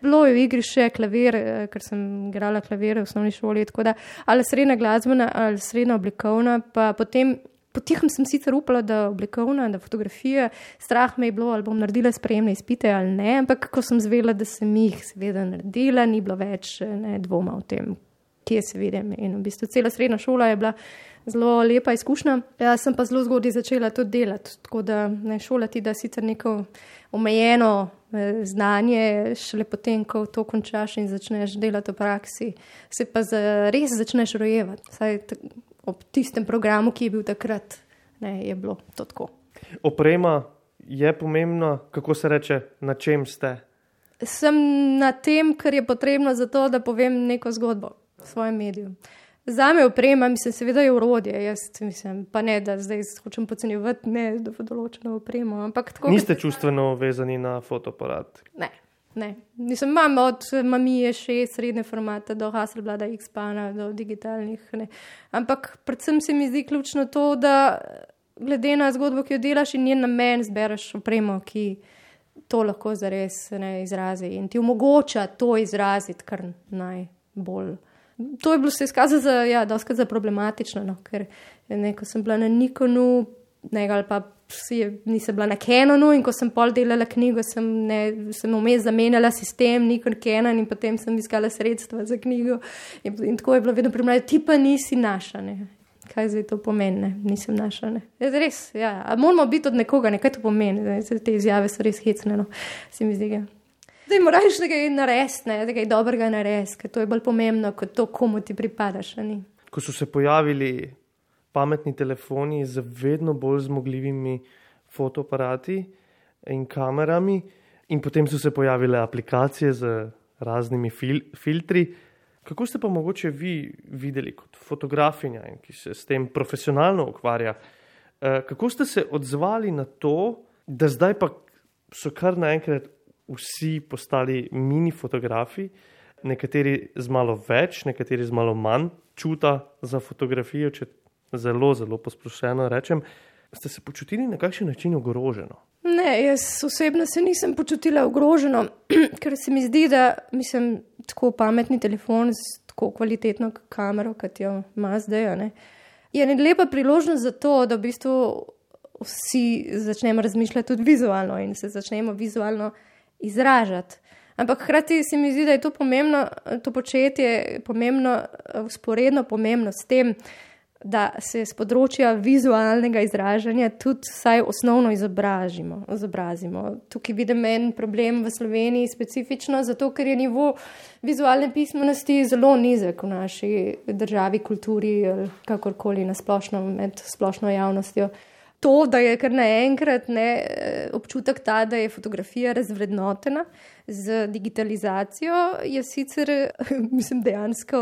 bilo je v igri še klavir, ker sem igrala klavir v osnovni šoli, tako da ali srednja glasbena ali srednja oblikovna, pa potem potihem sem sicer upala, da oblikovna, da fotografija, strah me je bilo, ali bom naredila sprejemne izpite ali ne, ampak ko sem zvedela, da sem jih seveda naredila, ni bilo več ne, dvoma o tem, kje se vidim. In v bistvu cela srednja šola je bila zelo lepa izkušnja. Jaz sem pa zelo zgodaj začela to delati, tako da ne šolati, da sicer neko omejeno znanje, šele potem, ko to končaš in začneš delati v praksi, se pa res začneš rojevati. Saj ob tistem programu, ki je bil takrat, ne, je bilo to tako. Oprema je pomembna, kako se reče, na čem ste? Sem na tem, kar je potrebno za to, da povem neko zgodbo v svojem mediju. Zame oprema, mislim, seveda je orodje, jaz mislim, pa ne, da zdaj hočem podcenjevati, ne, da bo določeno opremo, ampak tako... Niste čustveno vezani na fotoaparat? Ne, ne. Mislim, imam od Mamije šest srednje formata do Hasselblada X-Pana, do digitalnih, ne. Ampak predvsem se mi zdi ključno to, da glede na zgodbo, ki jo delaš in njen namen, zbereš opremo, ki to lahko zares ne izrazi in ti omogoča to izraziti kar najbolj. To je bilo se izkazalo za, ja, doskrat za problematično, no, ker ne, ko sem bila na Nikonu, ne, ali pa si, nisem bila na Canonu in ko sem pol delala knjigo, sem, ne, sem vmes zamenjala sistem Nikon Canon in potem sem iskala sredstva za knjigo in, in tako je bilo vedno primerjati, ti pa nisi naša, ne. kaj zdaj to pomeni, ne? Nisem našla. Ne? Res, ja, a moramo biti od nekoga, ne? Kaj to pomeni, zdaj, te izjave so res hecne, no, se mi zdi. Zdaj moraš nekaj narediti, ne? Nekaj dobrega narediti, ker to je bolj pomembno, kot to, komu ti pripadaš. Ne? Ko so se pojavili pametni telefoni z vedno bolj zmogljivimi fotoaparati in kamerami in potem so se pojavile aplikacije z raznimi fil filtri, kako ste pa mogoče vi videli kot fotografinja in ki se s tem profesionalno ukvarja, kako ste se odzvali na to, da zdaj pa so kar naenkrat vsi postali mini fotografi, nekateri z malo več, nekateri z malo manj čuta za fotografijo, če zelo, zelo posplošeno rečem. Ste se počutili na kakšen način ogroženo? Ne, jaz osebno se nisem počutila ogroženo, ker se mi zdi, da mislim, tako pametni telefon z tako kvalitetno kamero, kot jo ima zdaj, ne, je lepa priložnost za to, da v bistvu vsi začnemo razmišljati tudi vizualno in se začnemo vizualno izražati. Ampak hkrati se mi zdi, da je to pomembno, to početje pomembno, vzporedno pomembno s tem, da se z področja vizualnega izražanja tudi vsaj osnovno izobrazimo. izobrazimo. Tukaj vidim en problem v Sloveniji specifično, zato ker je nivo vizualne pismenosti zelo nizek v naši državi, kulturi, kakorkoli na splošno, med splošno javnostjo. To, da je kar naenkrat ne, občutek ta, da je fotografija razvrednotena z digitalizacijo, je sicer, mislim, dejansko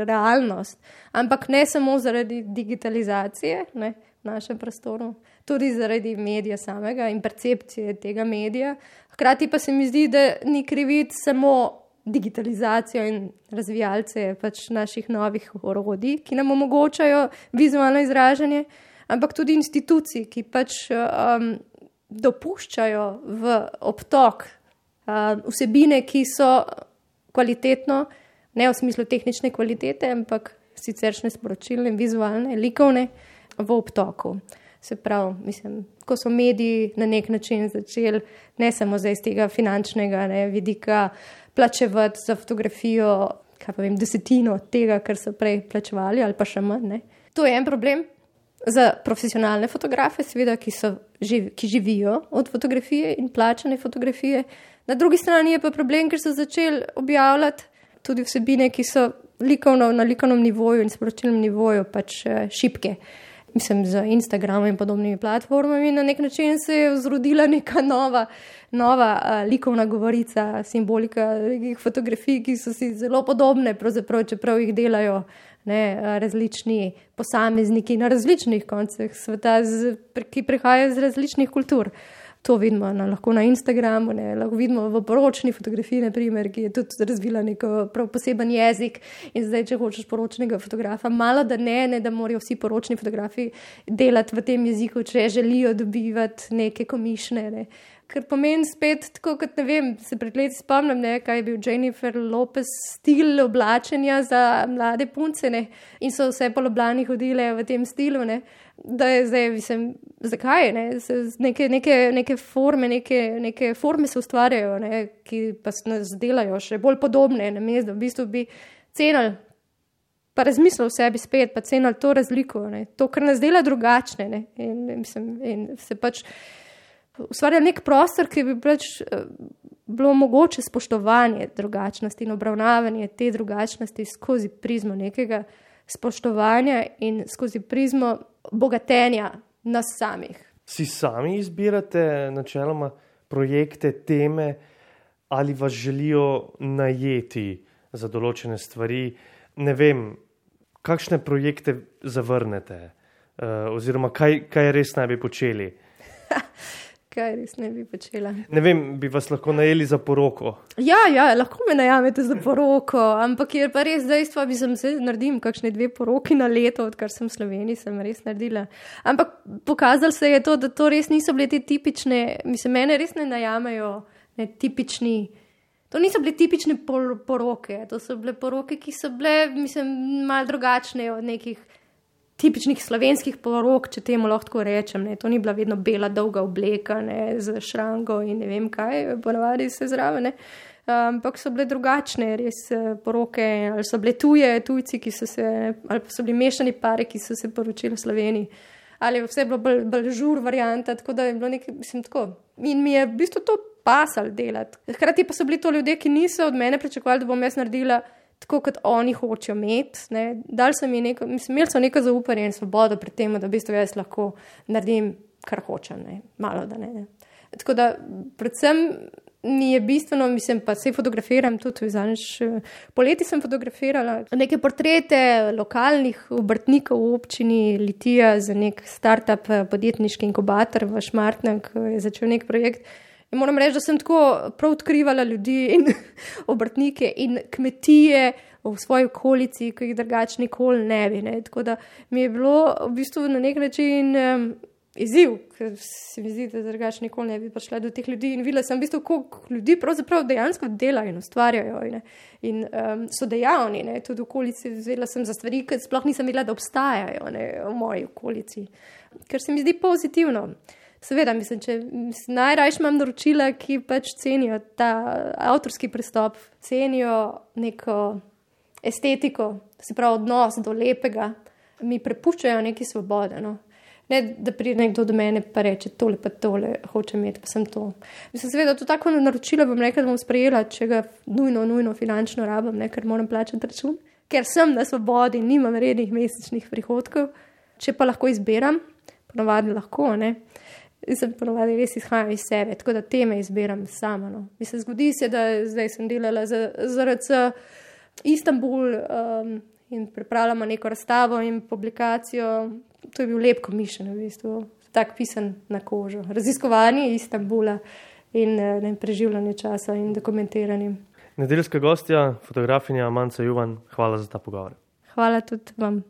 realnost. Ampak ne samo zaradi digitalizacije, ne, v našem prostoru, tudi zaradi medija samega in percepcije tega medija. Hkrati pa se mi zdi, da ni kriviti samo digitalizacijo in razvijalce pač naših novih orodij, ki nam omogočajo vizualno izražanje, ampak tudi institucij, ki pač um, dopuščajo v obtok um, vsebine, ki so kvalitetno, ne v smislu tehnične kvalitete, ampak siceršne sporočilne, vizualne, likovne v obtoku. Se pravi, mislim, ko so mediji na nek način začeli ne samo zdaj iz tega finančnega ne, vidika plačevati za fotografijo, kaj pa vem, desetino tega, kar so prej plačevali ali pa še manj. Ne. To je en problem. Za profesionalne fotografe, seveda, ki, so, ki živijo od fotografije in plačane fotografije. Na drugi strani je pa problem, ker so začeli objavljati tudi vsebine, ki so likovno, na likovnem nivoju in sporočilnem nivoju pač šibke. Mislim, z Instagramom in podobnimi platformami na nek način se je vzrodila neka nova, nova uh, likovna govorica, simbolika nekih fotografij, ki so si zelo podobne, pravzaprav, čeprav jih delajo ne, različni posamezniki na različnih koncih sveta, z, ki prihajajo iz različnih kultur. To vidimo na, lahko na Instagramu, ne, lahko vidimo v poročni fotografiji, naprimer, ki je tudi razvila neko prav poseben jezik. In zdaj, če hočeš poročnega fotografa, malo da ne, ne, da morajo vsi poročni fotografi delati v tem jeziku, če želijo dobivati neke komišne. Ne. Ker pomeni spet, tako kot ne vem, se pred leti spomnim, ne, kaj je bil Jennifer Lopez stil oblačenja za mlade punce, ne, in so vse po Ljubljani hodile v tem stilu, ne, da je zdaj, mislim, zakaj, ne, se neke, neke, neke forme, neke, neke forme se ustvarjajo, ne, ki pa se nas delajo še bolj podobne, na mesto, v bistvu bi cenili, pa razmislil v sebi spet, pa cenili to razliko, ne, to, kar nas dela drugačne, ne, in, mislim, in se pač ustvarja nek prostor, ki bi pač bilo mogoče spoštovanje drugačnosti in obravnavanje te drugačnosti skozi prizmo nekega spoštovanja in skozi prizmo bogatenja nas samih. Si sami izbirate načeloma projekte, teme ali vas želijo najeti za določene stvari? Ne vem, kakšne projekte zavrnete oziroma kaj, kaj res naj bi počeli? Kaj res ne bi počela? Ne vem, bi vas lahko najeli za poroko? Ja, ja, lahko me najamete za poroko, ampak je pa res dejstvo, bi sem se naredim kakšne dve poroki na leto, odkar sem v Sloveniji, sem res naredila. Ampak pokazalo se je to, da to res niso bile te tipične, mislim, mene res ne najamajo, ne tipični, to niso bile tipične por poroke, to so bile poroke, ki so bile, mislim, malo drugačne od nekih tipičnih slovenskih porok, če temu lahko rečem. Ne. To ni bila vedno bela, dolga obleka, ne, z šrango in ne vem kaj, ponavadi se zraven. Ampak so bile drugačne, res poroke, ali so bile tuje, tujci, ki so se, ali pa so bili mešani pari, ki so se poročili v Sloveniji. Ali vse je bilo bolj, bolj žur varianta, tako da je bilo nekaj, mislim, tako. In mi je v bistvu to pasal delati. Hkrati pa so bili to ljudje, ki niso od mene pričakovali, da bom jaz naredila tako, kot oni hočejo imeti. Dali so mi neko, mislim, imeli so neko zaupanje in svobodo pri tem, da v bistvu jaz lahko naredim, kar hočem, ne, malo da ne. ne. Tako da predvsem mi je bistveno, mislim, pa se fotografiram tudi, zadnjič poleti sem fotografirala neke portrete lokalnih obrtnikov v občini Litija za nek startup podjetniški inkubator v Šmartnem, ki je začel nek projekt. In moram reči, da sem tako prav odkrivala ljudi in obrtnike in kmetije v svoji okolici, ki jih drugače nikoli ne bi. Ne. Tako da mi je bilo v bistvu na nek način um, izziv, ker se mi zdi, da drugače nikoli ne bi prišla do teh ljudi in videla sem v bistvu, koliko ljudi pravzaprav dejansko delajo in ustvarjajo in, in um, so dejavni. Ne. Tudi v okolici vzela sem za stvari, ki sploh nisem videla, da obstajajo, ne, v moji okolici. Ker se mi zdi pozitivno. Seveda, mislim, če najrajš imam naročila, ki pač cenijo ta avtorski pristop, cenijo neko estetiko, se pravi odnos do lepega, mi prepuščajo neki svobode. No. Ne, da pride nekdo do mene pa reče, tole pa tole hoče imeti, pa sem to. Mislim, seveda, to tako naročilo bom rekla, da bom sprejela, če ga nujno, nujno finančno rabim, ne, ker moram plačati račun, ker sem na svobodi, nimam rednih mesečnih prihodkov, če pa lahko izbiram, ponavadi lahko, ne. In sem ponovadi res izhajam iz sebe, tako da teme izbiram sama. No. Mislim, zgodi se, da zdaj sem delala za, za R C Istanbul um, in pripravljamo neko razstavo in publikacijo. To je bil lep komišen, v bistvu, tak pisan na kožo. Raziskovanje Istanbula in ne, preživljanje časa in dokumentiranje. Nedeljska gostja, fotografinja Manca Juvan, hvala za ta pogovor. Hvala tudi vam.